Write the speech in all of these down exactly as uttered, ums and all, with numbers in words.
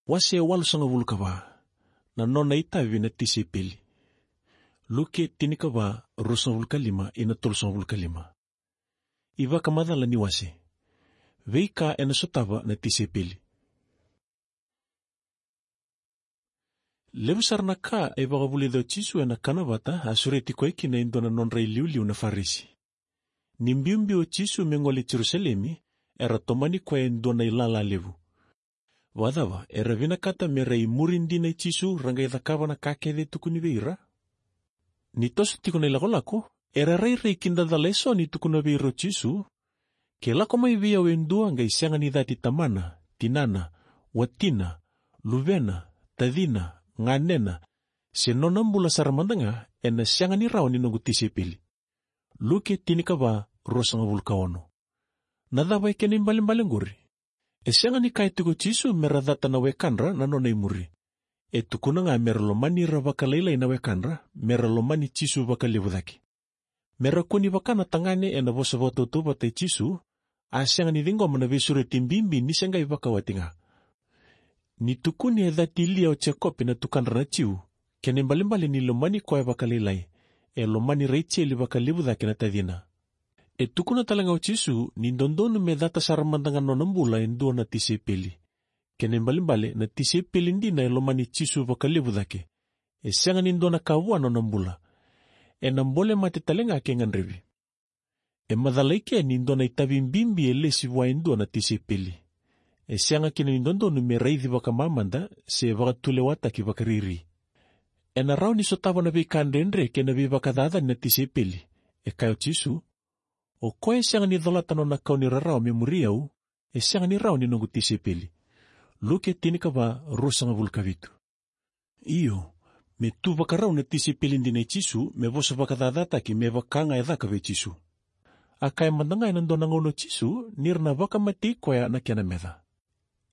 Wase walusagavulu ka va. Na nona itavi na tisaipeli. Luke tinikava, ruasagavulu ka lima ina tolusagavulu ka lima. Ivakamacala ni wase. Veika ena sotava na tisaipeli. Levu sara na ka e vakavulica o Jisu ena kana vata a sureti koya kina e dua na nodra iliuliu na Farisi. Ni biubiu o Jisu me gole i Jerusalemi, era tomani koya e dua na ilala levu. Vakacava, era vinakata me ra imuri dina i Jisu ra qai cakava na ka kece e tukuni vei ira? Ni toso tiko na ilakolako, era rairai kidacala eso ni tukuna vei ira o Jisu, ke lako mai vei au e dua qai sega ni cati tamana, tinana, watina, luvena, tacina, ganena, se nona bula sara mada ga, ena sega ni rawa ni noqu tisaipeli. Luke tinikava, ruasagavulu ka ono. Na cava e kena ibalebale oqori? E sega ni kaya tiko o Jisu me ra cata na wekadra na nona imuri. E tukuna ga me ra lomani ira vakalailai na wekadra, me ra lomani Jisu vakalevu cake. Me ra kua ni vaka na tagane ena vosa vakatautauvata i Jisu, a sega ni ciqoma na veisureti bibi ni se qai vakawati ga. Ni tukuni e cati lia o Jekope na tukadra na Jiu, kena ibalebale ni lomani koya vakalailai, e lomani Raijeli vakalevu cake na tacina. E tukuna tale ga o Jisu ni dodonu me cata sara mada ga na nona bula e dua na tisaipeli. Kena ibalebale na tisaipeli dina e lomani Jisu vakalevu cake. E sega ni dua na ka vua na nona bula. Ena bole mate tale ga ke gadrevi. E macala eke ni dua na itavi bibi e lesi vua e dua na tisaipeli. E sega kina ni dodonu me raici vakamamada se vakatulewataki vakariri. Ena rawa ni sotava na veika dredre kei na veivakacacani na tisaipeli. E kaya o Jisu, o koya e sega ni colata nona kau ni rarawa me muri au, e sega ni rawa ni noqu tisaipeli. Luke tinikava, ruasagavulu ka vitu. Io, me tu vakarau na tisaipeli dina i Jisu me vosa vakacacataki me vaka ga e caka vei Jisu. A kaya mada ga ena dua na gauna o Jisu ni ra na vakamatei koya na kena meca.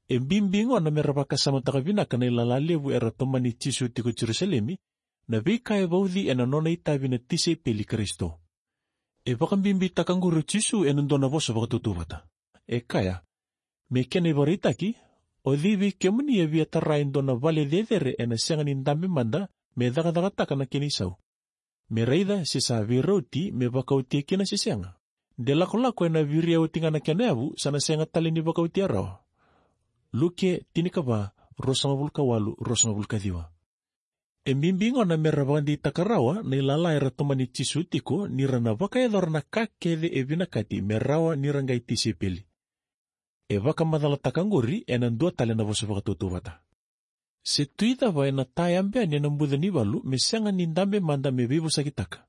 E bibi gona me ra vakasamataka vinaka na ilala levu era tomani Jisu tiko i Jerusalemi, na veika e vauci ena nona itavi na tisaipeli Karisito. E vakabibitaka oqori o Jisu ena dua na vosa vakatautauvata. E kaya, me kena ivakaraitaki, o cei vei kemuni e via tara e dua na vale cecere ena sega ni dabe mada me cakacakataka na kena isau, me raica se sa veirauti me vakaotia kina se sega? De lakolako ena viria oti ga na kena yavu, sa na sega tale ni vakaotia rawa. Luke tinikava, ruasagavulu ka walu, ruasagavulu ka ciwa. E bibi gona me ra vakadeitaka rawa na ilala era tomani Jisu tiko ni ra na vakayacora na ka kece e vinakati me rawa ni ra qai tisaipeli. E vakamacalataka oqori ena dua tale na vosa vakatautauvata. Se tui cava ena tayabe yani ena buca ni valu me sega ni dabe mada me veivosakitaka?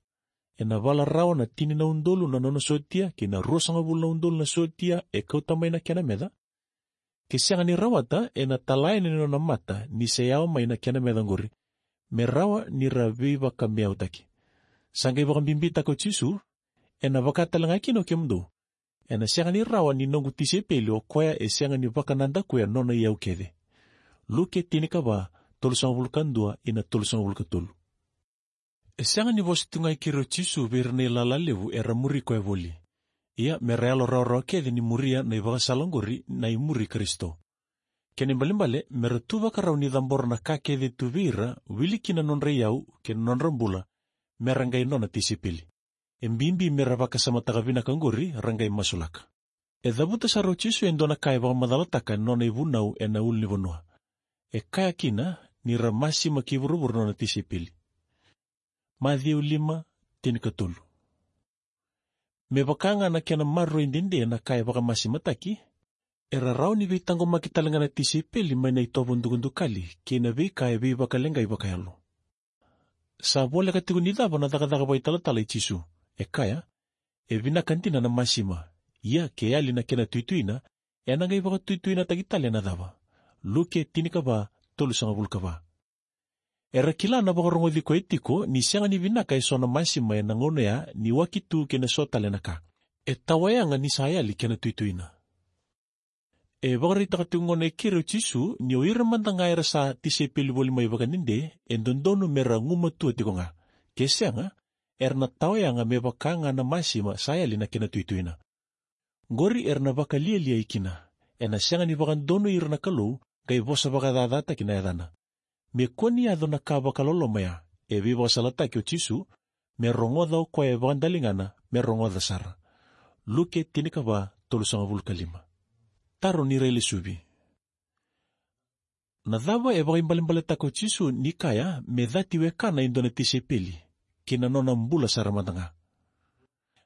Ena vala rawa na tini na udolu na nona sotia kei na ruasagavulu na udolu na sotia e kauta mai na kena meca. Ke sega ni rawata, ena tala yani na nona mata ni se yawa mai na kena meca oqori, me rawa ni ra veivakameautaki. Sa qai vakabibitaka o Jisu, ena vaka tale ga kina o kemudou. Ena sega ni rawa ni noqu tisaipeli o koya e sega ni vakanadakuya nona iyau kece. Luke tinikava, tolusagavulu ka dua ina tolusagavulu ka tolu. E sega ni vosa tu ga i keri o Jisu vei ira na ilala levu era muri koya voli. Ia me ra yalo rawarawa kece ni muria na ivakasala oqori na imuri Karisito. Kena ibalebale me ra tu vakarau ni cabora na ka kece tu vei ira, wili kina na nodra iyau kei na nodra bula, me ra qai nona tisaipeli. E bibi me ra vakasamataka vinaka oqori, ra qai masulaka. E cavuta sara o Jisu e dua na ka e vakamacalataka ena nona ivunau ena ulunivanua. E kaya kina ni ra masima ki vuravura na nona tisaipeli. Maciu lima, tinikatolu. Me vaka ga na kena maroroi dede na ka e vakamasimataki, era rawa ni veitaqomaki tale ga na tisaipeli mai na itovo dukadukali kei na veika e veivakaleqai vakayalo. Sa voleka tiko ni cava na cakacaka vakaitalatala i Jisu. E kaya, e vinaka dina na masima, ia ke yali na kena tuituina, ena qai vakatuituinataki tale ena cava? Luke tinikava, tolusagavulu ka va. Era kila na vakarogoci koya tiko ni sega ni vinaka eso na masima ena gauna ya ni waki tu kei na so tale na ka. E tawayaga ni sa yali kena tuituina. E vakaraitaka tiko gona e keri o Jisu ni o ira mada ga era sa tisaipeli voli mai vakadede, e dodonu me ra gumatua tiko ga. Ke sega, era na tawayaga me vaka ga na masima sa yali na kena tuituina. Qori era na vakalialiai kina. Ena sega ni vakadonui ira na Kalou, qai vosa vakacacataki na yacana. Me kua ni yaco na ka vakaloloma ya, e veivakasalataki o Jisu, me rogoca o koya e vakadaligana, me rogoca sara. Luke tinikava, tolusagavulu ka lima. Taro ni railesuvi. Na cava e vakaibalebaletaka o Jisu ni kaya me cati wekana e dua na tisaipeli, kei na nona bula sara mada ga?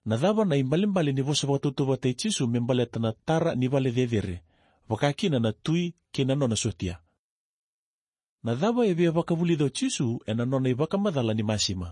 Na cava na ibalebale ni vosa vakatautauvata i Jisu me baleta na tara ni vale cecere, vakakina na tui kei na nona sotia? Na cava e via vakavulica o Jisu ena nona ivakamacala ni masima?